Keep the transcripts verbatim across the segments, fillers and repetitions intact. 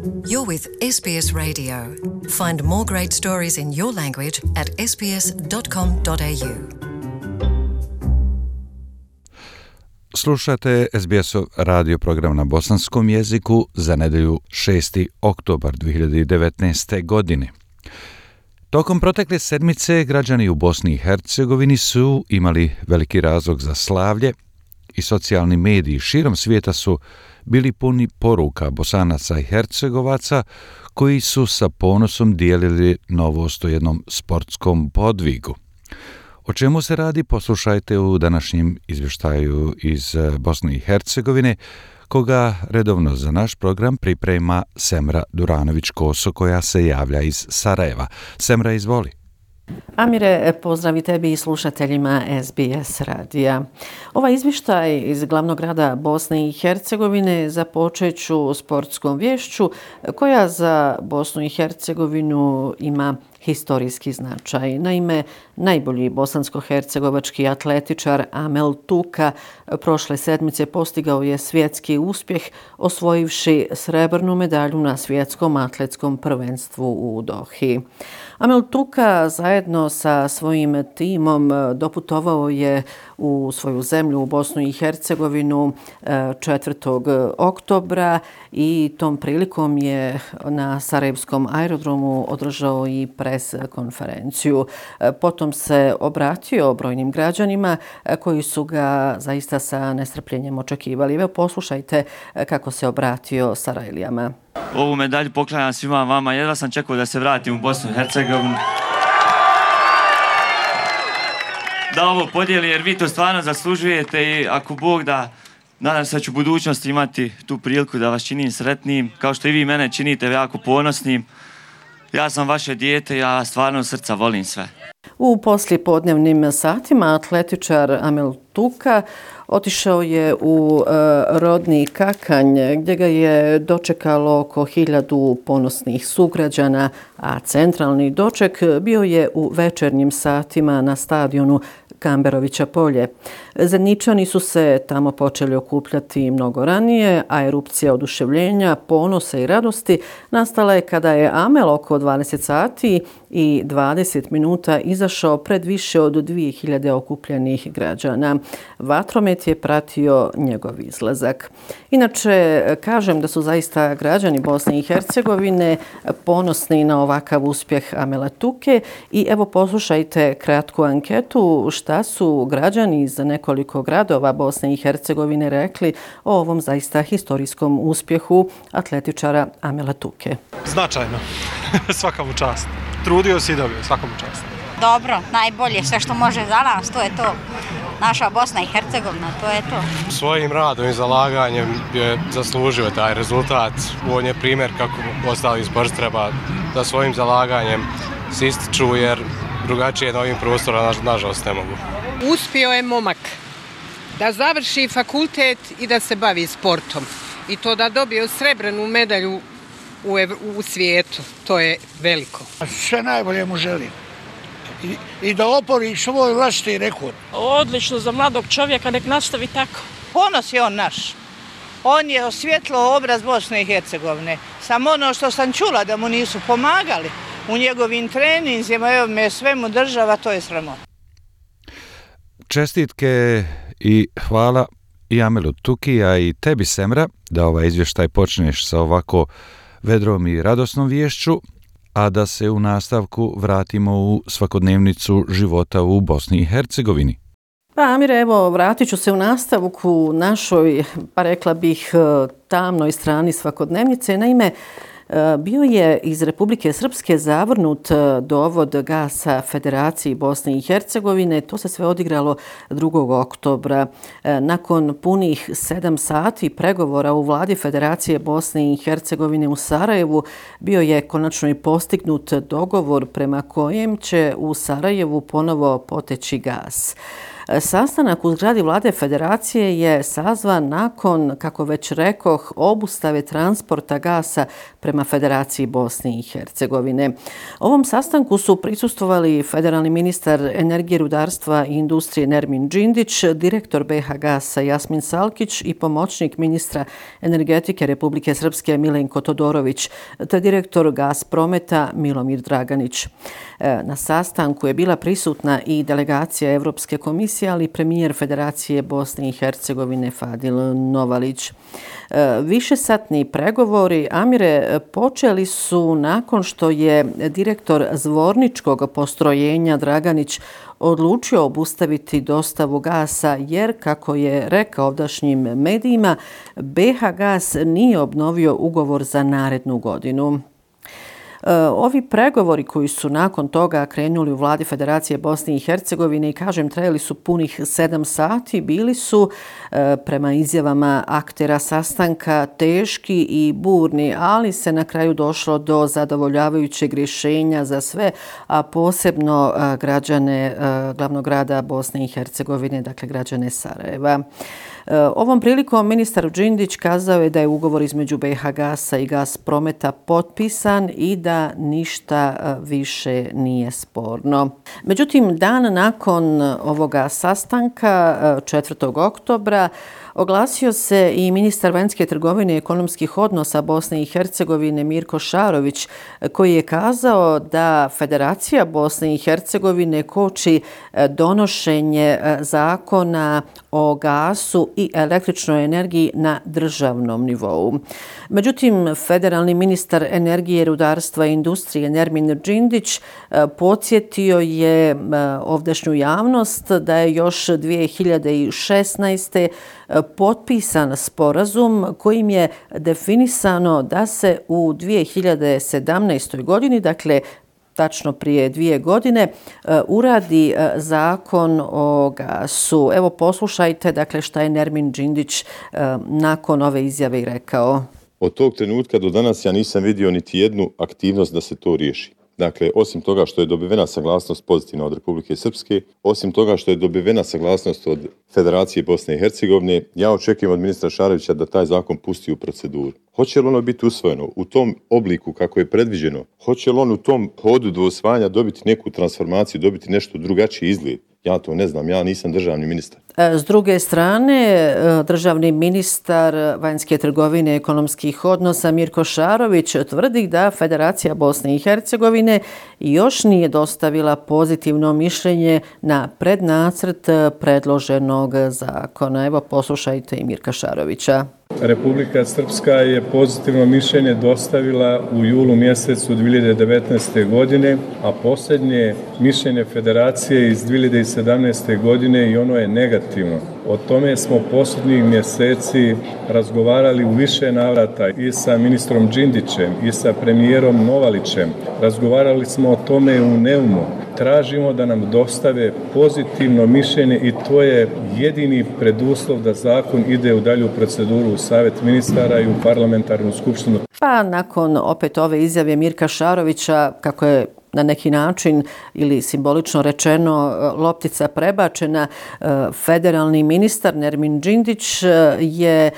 You're with S B S Radio. Find more great stories in your language at s b s dot com dot a u. Slušate S B S-ov radio program na bosanskom jeziku za nedjelju šesti oktobar dvije hiljade devetnaeste. godine. Tokom protekle sedmice građani u Bosni i Hercegovini su imali veliki razlog za slavlje i socijalni mediji širom svijeta su bili puni poruka Bosanaca i Hercegovaca koji su sa ponosom dijelili novost o jednom sportskom podvigu. O čemu se radi, poslušajte u današnjem izvještaju iz Bosne i Hercegovine, koga redovno za naš program priprema Semra Duranović-Koso, koja se javlja iz Sarajeva. Semra, izvoli. Amire, pozdrav i tebi i slušateljima S B S radija. Ovaj izvještaj iz glavnog grada Bosne i Hercegovine započet ću sportskom vješću koja za Bosnu i Hercegovinu ima historijski značaj. Naime, najbolji bosansko-hercegovački atletičar Amel Tuka prošle sedmice postigao je svjetski uspjeh osvojivši srebrnu medalju na svjetskom atletskom prvenstvu u Dohi. Amel Tuka zajedno sa svojim timom doputovao je u svoju zemlju, u Bosnu i Hercegovinu četvrtog oktobra i tom prilikom je na Sarajevskom aerodromu održao i pres konferenciju. Potom se obratio brojnim građanima koji su ga zaista sa nestrpljenjem očekivali. Evo, poslušajte kako se obratio Sarajlijama. Ovu medalju poklanjam svima vama. Jedva sam čekao da se vratim u Bosnu i Hercegovinu, da ovo podijelim, jer vi to stvarno zaslužujete i ako Bog da, nadam se da ću u budućnosti imati tu priliku da vas činim sretnim, kao što i vi mene činite jako ponosnim. Ja sam vaše dijete, ja stvarno od srca volim sve. U poslijepodnevnim satima atletičar Amel Tuka otišao je u e, rodni Kakanj, gdje ga je dočekalo oko hiljadu ponosnih sugrađana, a centralni doček bio je u večernjim satima na stadionu Kamberovića polje. Zeničani su se tamo počeli okupljati mnogo ranije, a erupcija oduševljenja, ponosa i radosti nastala je kada je Amel oko dvadeset sati i dvadeset minuta izašao pred više od dvije hiljade okupljenih građana. Vatromet je pratio njegov izlazak. Inače, kažem da su zaista građani Bosne i Hercegovine ponosni na ovakav uspjeh Amela Tuke i evo poslušajte kratku anketu šta su građani iz nekoliko gradova Bosne i Hercegovine rekli o ovom zaista historijskom uspjehu atletičara Amela Tuke. Značajno. Svaka mu čast. Trudio si i dobio. Svaka mu čast. Dobro, najbolje, sve što može za nas, to je to. Naša Bosna i Hercegovina, to je to. Svojim radom i zalaganjem je zaslužio taj rezultat. On je primjer kako ostali sport treba da svojim zalaganjem se ističu, jer drugačije na ovim prostorima nažalost ne mogu. Uspio je momak da završi fakultet i da se bavi sportom. I to da dobije srebrnu medalju u, u svijetu. To je veliko. Sve najbolje mu želim. I, i da opori svoj vlastiti rekord. Odlično za mladog čovjeka, nek nastavi tako. Ponos je on naš. On je osvjetlio obraz Bosne i Hercegovine. Samo ono što sam čula da mu nisu pomagali u njegovim treninzima, evo me sve mu država, to je sramota. Čestitke i hvala i Amelu Tuki, a i tebi, Semra, da ovaj izvještaj počneš sa ovako vedrom i radosnom viješću, a da se u nastavku vratimo u svakodnevnicu života u Bosni i Hercegovini. Pa Amire, evo, vratit ću se u nastavku našoj, pa rekla bih, tamnoj strani svakodnevnice. Naime, bio je iz Republike Srpske zavrnut dovod gasa Federaciji Bosne i Hercegovine. To se sve odigralo drugog oktobra. Nakon punih sedam sati pregovora u vladi Federacije Bosne i Hercegovine u Sarajevu bio je konačno i postignut dogovor prema kojem će u Sarajevu ponovo poteći gas. Sastanak u zgradi vlade Federacije je sazvan nakon, kako već rekoh, obustave transporta gasa prema Federaciji Bosne i Hercegovine. Ovom sastanku su prisustvovali federalni ministar energije, rudarstva i industrije Nermin Džindić, direktor B H Gasa Jasmin Salkić i pomoćnik ministra energetike Republike Srpske Milenko Todorović, te direktor Gasprometa Milomir Draganić. Na sastanku je bila prisutna i delegacija Evropske komisije, ali i premijer Federacije Bosne i Hercegovine Fadil Novalić. Višesatni pregovori, Amire, počeli su nakon što je direktor Zvorničkog postrojenja Draganić odlučio obustaviti dostavu gasa jer, kako je rekao ovdašnjim medijima, B H Gas nije obnovio ugovor za narednu godinu. Ovi pregovori koji su nakon toga krenuli u vladi Federacije Bosne i Hercegovine i, kažem, trajali su punih sedam sati, bili su, prema izjavama aktera sastanka, teški i burni, ali se na kraju došlo do zadovoljavajućeg rješenja za sve, a posebno građane glavnog grada Bosne i Hercegovine, dakle građane Sarajeva. Ovom prilikom ministar Džindić kazao je da je ugovor između B H Gasa i Gasprometa potpisan i da ništa više nije sporno. Međutim, dan nakon ovoga sastanka, četvrtog oktobra, oglasio se i ministar vanjske trgovine i ekonomskih odnosa Bosne i Hercegovine Mirko Šarović, koji je kazao da Federacija Bosne i Hercegovine koči donošenje zakona o gasu i električnoj energiji na državnom nivou. Međutim, federalni ministar energije, rudarstva i industrije Nermin Džindić podsjetio je ovdašnju javnost da je još dvije hiljade šesnaeste. potpisan sporazum kojim je definisano da se u dvije hiljade sedamnaestoj. godini, dakle tačno prije dvije godine, uradi zakon o gasu. Evo, poslušajte, dakle, šta je Nermin Džindić nakon ove izjave i rekao. Od tog trenutka do danas ja nisam vidio niti jednu aktivnost da se to riješi. Dakle, osim toga što je dobivena saglasnost pozitivna od Republike Srpske, osim toga što je dobivena saglasnost od Federacije Bosne i Hercegovine, ja očekujem od ministra Šarovića da taj zakon pusti u proceduru. Hoće li ono biti usvojeno u tom obliku kako je predviđeno? Hoće li on u tom hodu do usvajanja dobiti neku transformaciju, dobiti nešto drugačiji izgled? Ja to ne znam, ja nisam državni ministar. S druge strane, državni ministar vanjske trgovine i ekonomskih odnosa Mirko Šarović tvrdi da Federacija Bosne i Hercegovine još nije dostavila pozitivno mišljenje na prednacrt predloženog zakona. Evo, poslušajte i Mirka Šarovića. Republika Srpska je pozitivno mišljenje dostavila u julu mjesecu dvije hiljade devetnaeste. godine, a posljednje mišljenje Federacije iz dvije hiljade sedamnaeste. godine i ono je negativno. O tome smo posljednjih mjeseci razgovarali u više navrata i sa ministrom Džindićem i sa premijerom Novalićem. Razgovarali smo o tome u Neumu. Tražimo da nam dostave pozitivno mišljenje i to je jedini preduslov da zakon ide u dalju proceduru u Savjet ministara i u parlamentarnu skupštinu. Pa nakon opet ove izjave Mirka Šarovića, kako je na neki način ili simbolično rečeno loptica prebačena, federalni ministar Nermin Džindić je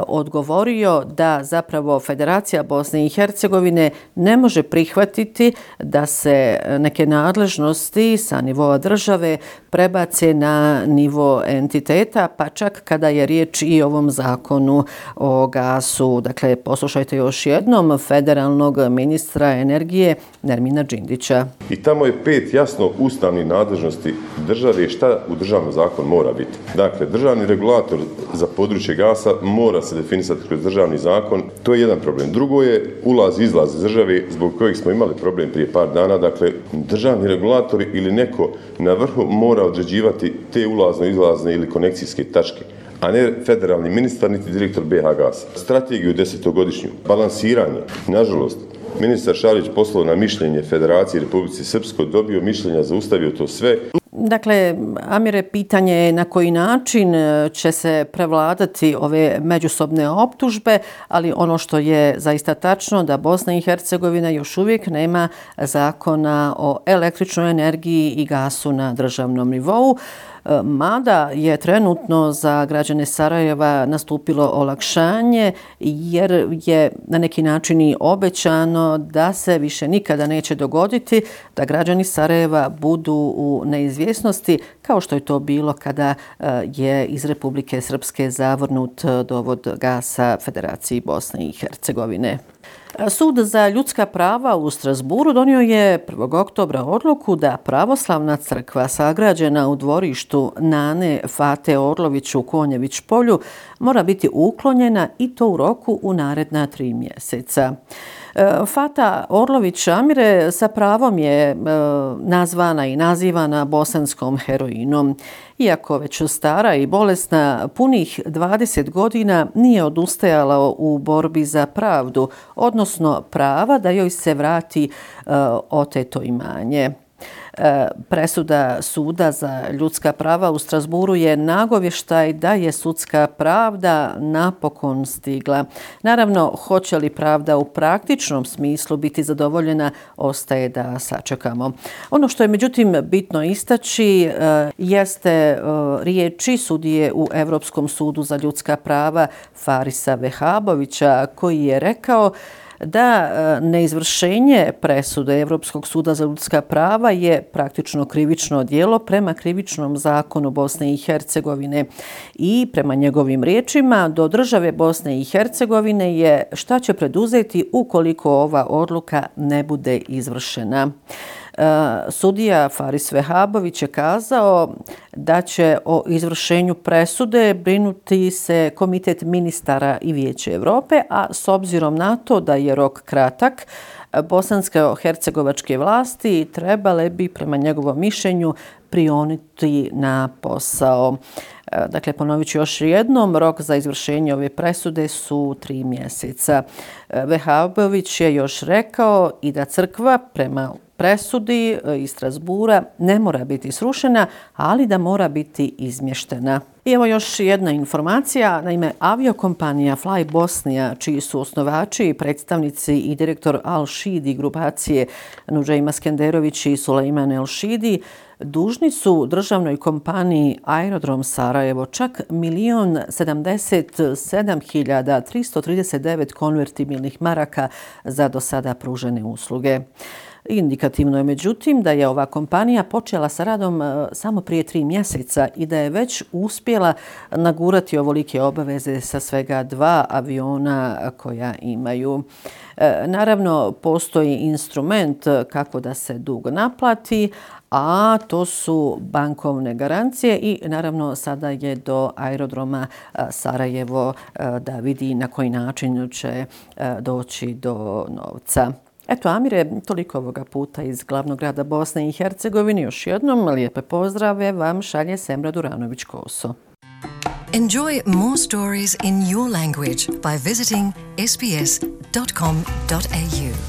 odgovorio da zapravo Federacija Bosne i Hercegovine ne može prihvatiti da se neke nadležnosti sa nivoa države prebace na nivo entiteta, pa čak kada je riječ i o ovom zakonu o gasu. Dakle, poslušajte još jednom federalnog ministra energije Nermina Džindića. I tamo je pet jasno ustavnih nadležnosti države šta u državnom zakonu mora biti. Dakle, državni regulator za područje gasa mora se definisati kroz državni zakon. To je jedan problem. Drugo je ulaz i izlaz iz države zbog kojeg smo imali problem prije par dana. Dakle, državni regulatori ili neko na vrhu mora određivati te ulazno-izlazne ili konekcijske tačke, a ne federalni ministar niti direktor B H Gasa. Strategiju desetogodišnju, balansiranje, nažalost, ministar Šarić poslao na mišljenje Federacije Republike Srpskoj, dobio mišljenja, zaustavio to sve. Dakle, Amire, pitanje je na koji način će se prevladati ove međusobne optužbe, ali ono što je zaista tačno da Bosna i Hercegovina još uvijek nema zakona o električnoj energiji i gasu na državnom nivou. Mada je trenutno za građane Sarajeva nastupilo olakšanje jer je na neki način i obećano da se više nikada neće dogoditi da građani Sarajeva budu u neizvjesnosti kao što je to bilo kada je iz Republike Srpske zavrnut dovod gasa Federaciji Bosne i Hercegovine. Sud za ljudska prava u Strasburu donio je prvog oktobra odluku da pravoslavna crkva sagrađena u dvorištu Nane Fate Orlović u Konjević polju mora biti uklonjena i to u roku u naredna tri mjeseca. Fata Orlović Amire sa pravom je nazvana i nazivana bosanskom heroinom. Iako već stara i bolesna, punih dvadeset godina nije odustajala u borbi za pravdu, odnosno prava da joj se vrati oteto imanje. Presuda Suda za ljudska prava u Strasburu je nagovještaj da je sudska pravda napokon stigla. Naravno, hoće li pravda u praktičnom smislu biti zadovoljena, ostaje da sačekamo. Ono što je međutim bitno istaći jeste riječi sudije u Europskom sudu za ljudska prava Farisa Vehabovića, koji je rekao da neizvršenje presude Europskog suda za ljudska prava je praktično krivično djelo prema krivičnom zakonu Bosne i Hercegovine i prema njegovim riječima do države Bosne i Hercegovine je šta će preduzeti ukoliko ova odluka ne bude izvršena. Sudija Faris Vehabović je kazao da će o izvršenju presude brinuti se Komitet ministara i Vijeće Europe, a s obzirom na to da je rok kratak, bosansko-hercegovačke vlasti trebale bi prema njegovom mišljenju prionuti na posao. Dakle, ponovit ću još jednom, rok za izvršenje ove presude su tri mjeseca. Vehabović je još rekao i da crkva prema presudi iz Strasbura ne mora biti srušena, ali da mora biti izmještena. I evo još jedna informacija. Naime, aviokompanija Fly Bosnia, čiji su osnovači, predstavnici i direktor Al-Shidi grupacije Nudžejma Skenderović i Sulejman El-Shidi, dužni su državnoj kompaniji Aerodrom Sarajevo čak milion sedamdeset sedam hiljada tristo trideset devet konvertibilnih maraka za do sada pružene usluge. Indikativno je međutim da je ova kompanija počela sa radom samo prije tri mjeseca i da je već uspjela nagurati ovolike obaveze sa svega dva aviona koja imaju. Naravno, postoji instrument kako da se dug naplati, a to su bankovne garancije i naravno sada je do aerodroma Sarajevo da vidi na koji način će doći do novca. Eto, Amire, toliko ovoga puta iz glavnog grada Bosne i Hercegovine. Još jednom lijepe pozdrave vam šalje Semra Duranović-Koso. Enjoy more stories in your language by visiting s b s dot com dot a u.